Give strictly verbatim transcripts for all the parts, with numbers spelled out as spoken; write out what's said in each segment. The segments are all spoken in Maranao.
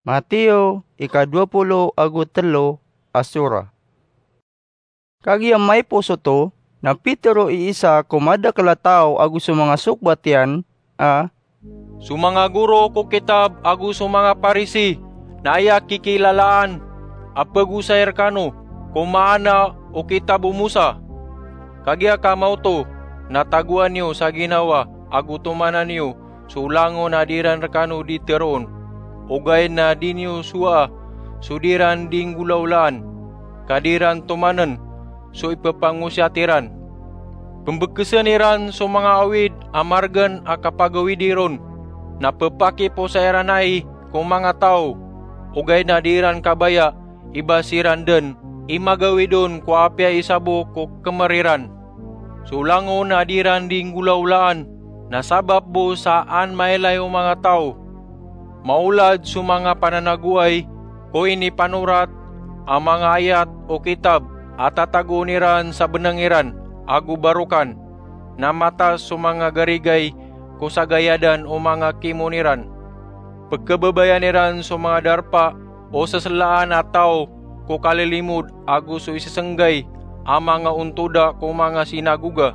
Mateo ika dowa polo ago telo a sora. Kagiya maipos oto, na pitero i isa ko madakl a taw ago so manga sokbat iyan a, "So manga goro ko kitab ago so manga Parisi na aya kikilalaan a pagosay rkano ko maana o kitab o Mosa. Kagiya ka maoto, na tagoan iyo sa ginawa ago tomanan iyo so langon a di ran rkano di teroon, ogaid na di niyo sowaa so di ran di nggolawlaan, ka di ran tomanen so ipepangosiyat iran. Pembekesen iran so manga awid a margen a kapagawidi ron, na pepakiposay iran ai ko manga taw, ogaid na di ran kabaya i ba siran den i magawid on ko apiya i sabo ko kemer iran. So langon a di ran di nggolawlaan na sabap bo sa an mailay o manga taw. Maolad so manga pananagoay ko inipanorat a manga ayat o kitab a tatagoon iran sa beneng iran ago barokan, na matas so manga garigay ko sagayadan o manga kimon iran. Pekebebayan iran so manga darpa o seselaan a taw ko kalilimod ago so isesenggay a manga ontoda ko manga sinagoga.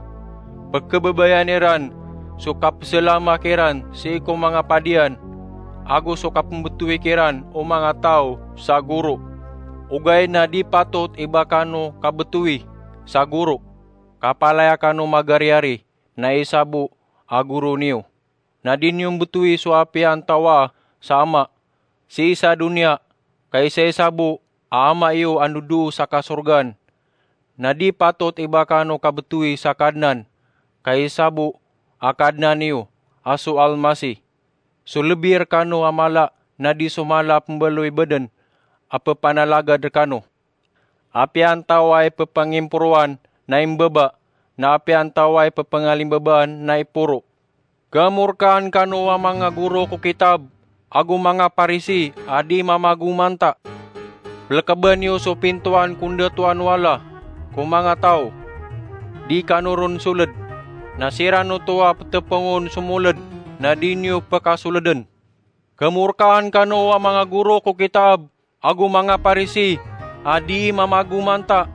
Pekebebayan iran so kapeselamak iran sii ko manga padiyan, ago so kapembetowi kiran o manga taw sa goro. Ogaid na di patot i ba kano kabetowi sa goro, ka palaya kano magariyari na i sabo a goro niyo. Na di niyo mbetowi so apiya antawaa sa Ama sii sa doniya, ka isa i sabo a Ama iyo a ndodoo sa kasorgaan. Na di patot i ba kano kabetowi sa Kadnan, ka i sabo a Kadnan iyo a so Almasih. So lebi rkano a mala na di so mala a pembaloy baden a pepanalagad rkano. Apiya antawaa i pepangimporoan na imbaba, na apiya antawaa i pepangalimbabaan na iporo. Kemorkaan kano a manga goro ko kitab ago manga Parisi a di mamagomanta! Pelekeben iyo so pintoan ko ndatoan o Allah ko manga taw. Di kano ron soled, na siran oto a petepengon so moled na di niyo pekasoleden. Kemorkaan kano a manga goro ko kitab ago manga Parisi a di mamagomanta!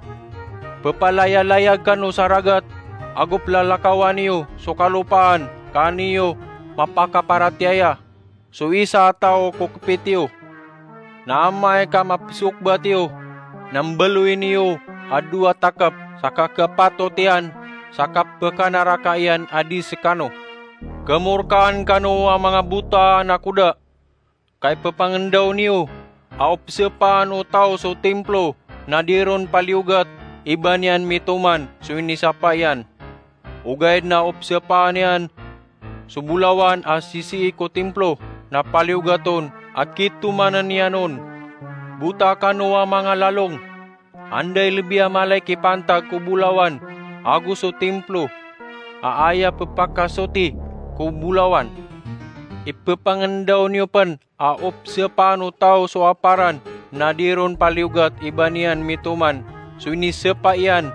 Pepalayalayag kano sa ragat ago pelalakawan iyo so kalopaan ka an iyo mapakaparatiyaya so isa a taw ko kepit iyo. Na amay ka mapesokbat iyo, na mbaloy niyo a dowa takep sa kakepatot iyan sa kapekanaraka iyan a di sekano. Kemorkaan kano a manga bota a nakoda! Ka ipepangendaw niyo a opesepaan o taw so timplo na di ron paliyogat i ba niyan mitoman so inisapa iyan. Ogaid na opesepaan iyan so bolawan a sisii ko timplo na paliyogat on a kitomanen iyan on. Bota kano a manga lalong! Anda i lebi a mala i kipantag ko bolawan ago so timplo a aya pepakasoti ko bolawan? Ipepangendaw niyo pen a opesepaan o taw so aparan na di ron paliyogat i ba niyan mitoman so inisepa iyan.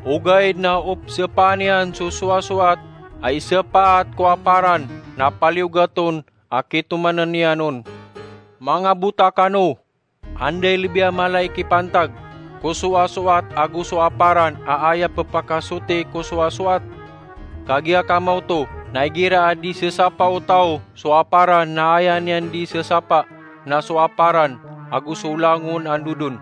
Ogaid na opesepaan iyan so sowasoat a isepaat ko aparan na paliyogat on a kitomanen iyan on. Manga bota kano! Anda i lebi a mala i kipantag ko sowasoat ago so aparan a aya pepakasoti ko sowasoat? Kagiya ka maoto, na igira a di sesapa o taw so aparan na aya niyan di sesapa na so aparan ago so langon a ndod on.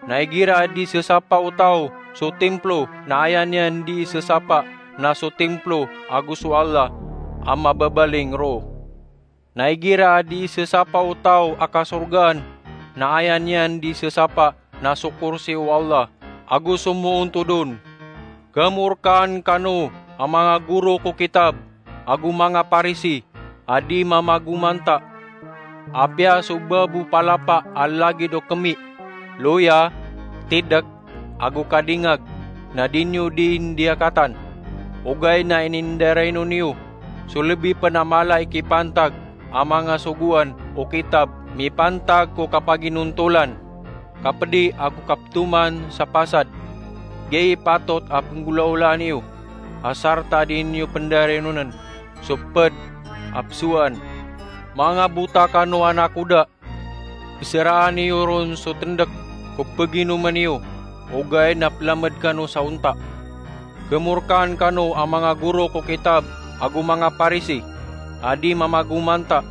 Na igira a di sesapa o taw so timplo na aya niyan di sesapa na so timplo ago so Allah a mababaling roo. Na igira a di sesapa o taw a kasorgaan na aya niyan di sesapa na so korsi o Allah ago so moontod on. Kemorkaan kano a manga goro ko kitab ago manga Parisi a di mamagomanta! Apiya so babo palapa a lagid o kemi, loya, tidek, ago kadingag na di niyo di indiyakatan, ogaid na inindaraino niyo so lebi pen a mala i kipantag a manga sogoan o kitab mipantag ko kapaginontolan, kapedi ago kapetoman sa pasad. Giyai i patot a penggolaolaan iyo, a sarta di niyo pendarainonen so ped a pesowaan. Manga bota kano a nakoda! Seraan iyo ron so tendek ko peginomen iyo, ogaid na pelamed kano sa onta. Kemorkaan kano a manga goro ko kitab ago manga Parisi a di mamagomanta.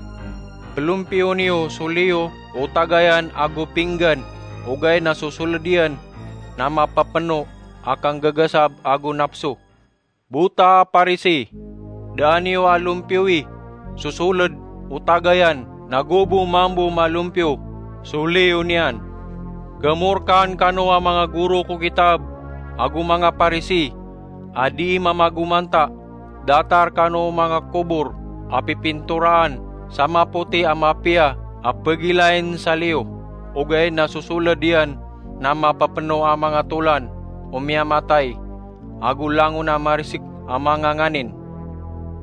Pelompiyo niyo so liyo o tagayan ago pinggan, ogaid na so soled iyan na mapepeno a kanggagasab ago napso. Bota a Parisi, da niyo a lompiyowi so soled o tagayan, nago bo mambo malompiyo so liyo niyan. Kemorkaan kano a manga goro ko kitab ago manga Parisi a di mamagomanta. Datar kano o manga kobor a pipintoraan sa mapoti a mapiya a pegilain sa liyo, ogaid na so soled iyan na mapepeno a manga tolan o miyamatay ago langon a marisik a manga nganin.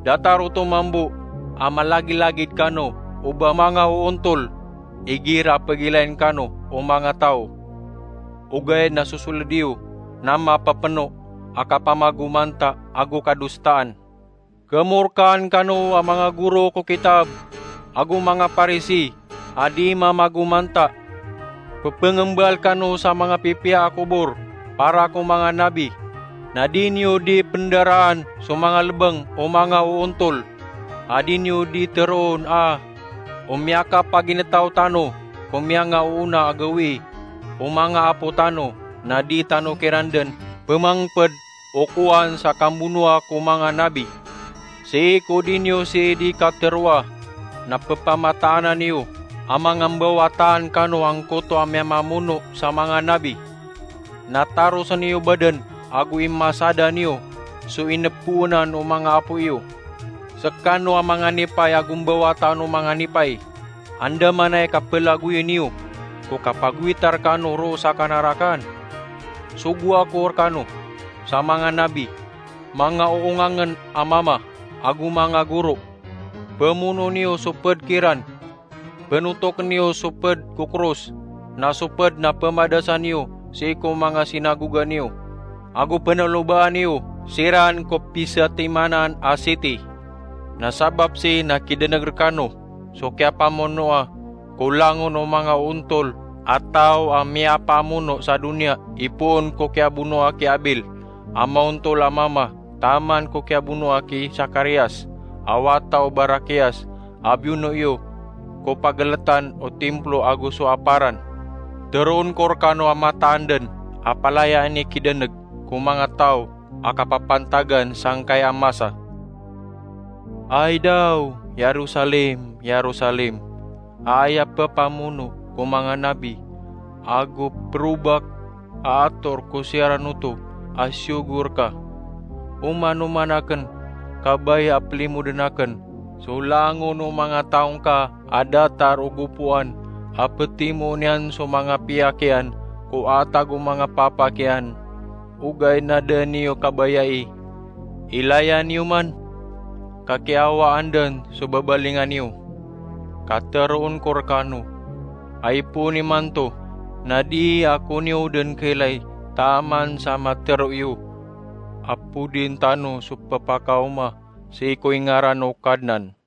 Datar oto mambo a malagilagid kano o ba manga oontol, igira a pegilain kano o manga taw, ogaid na so soled iyo na mapepeno a kapamagomanta ago kadostaan. Kemorkaan kano a manga goro ko kitab ago manga Parisi a di mamagomanta. Pepengembal kano sa manga pipiya a kobor para ko manga nabi, na di niyo di pendaraan so manga lebeng o manga oontol, a di niyo di teroon a o miyakapaginetaw tano ko miyangaoona a gawii o manga apo tano, na di tano kiran den pemangped o kowan sa kambonoa ko manga nabi. Sii ko di niyo sii di kateroa, na pepamataanan iyo a manga mbawataan kano angkoto a miyamamono sa manga nabi. Na tarosen iyo baden ago imasadan iyo so inepoonan o manga apo iyo. Sekano a manga nipay ago mbawataan o manga nipay, andamanaya i kapelagoyen iyo ko kapagowitar kano roo sa kanarakan. Sogoa ko rekano sa manga nabi, manga oongangen a mama ago manga goro. Pemono niyo so ped kiran, penotoken iyo so ped ko koros, na so ped na pemadasan iyo sii ko manga sinagoga niyo ago penolobaan iyo siran ko pisatimanan a siti. Na sabap sii na kideneg rekano so kiyapamonoa ko langon o manga ontol a taw a miyapamono sa doniya, ipoon ko kiyabonoa ki Abil a maontol a mama, taman ko kiyabonoa ki Sakarias a wata o Barakias a biyono iyo ko pageletan o timplo ago so aparan. Teroon ko rekano a mataan den a palayaan i kideneg ko manga taw a kapapantagan sangkai a masa. Ay daw, Yerusalem, Yerusalem, a aya pepamono ko manga nabi ago perobak a ator ko siyaran oto a siyogo reka. Oman-oman aken kabaya a pelimoden aken so langon o manga taw ngka a datar o gopoan a petimoon iyan so manga piyak iyan ko atag o manga papak iyan, ogaid na da niyo kabayai. Ilaya niyo man, ka kiyawaan den so babalingan iyo. Ka teroon ko rekano a ipoon imanto na dii ako niyo den kailay taman sa matero iyo a podin tano so pepakaoma sii ko ingaran o Kadnan.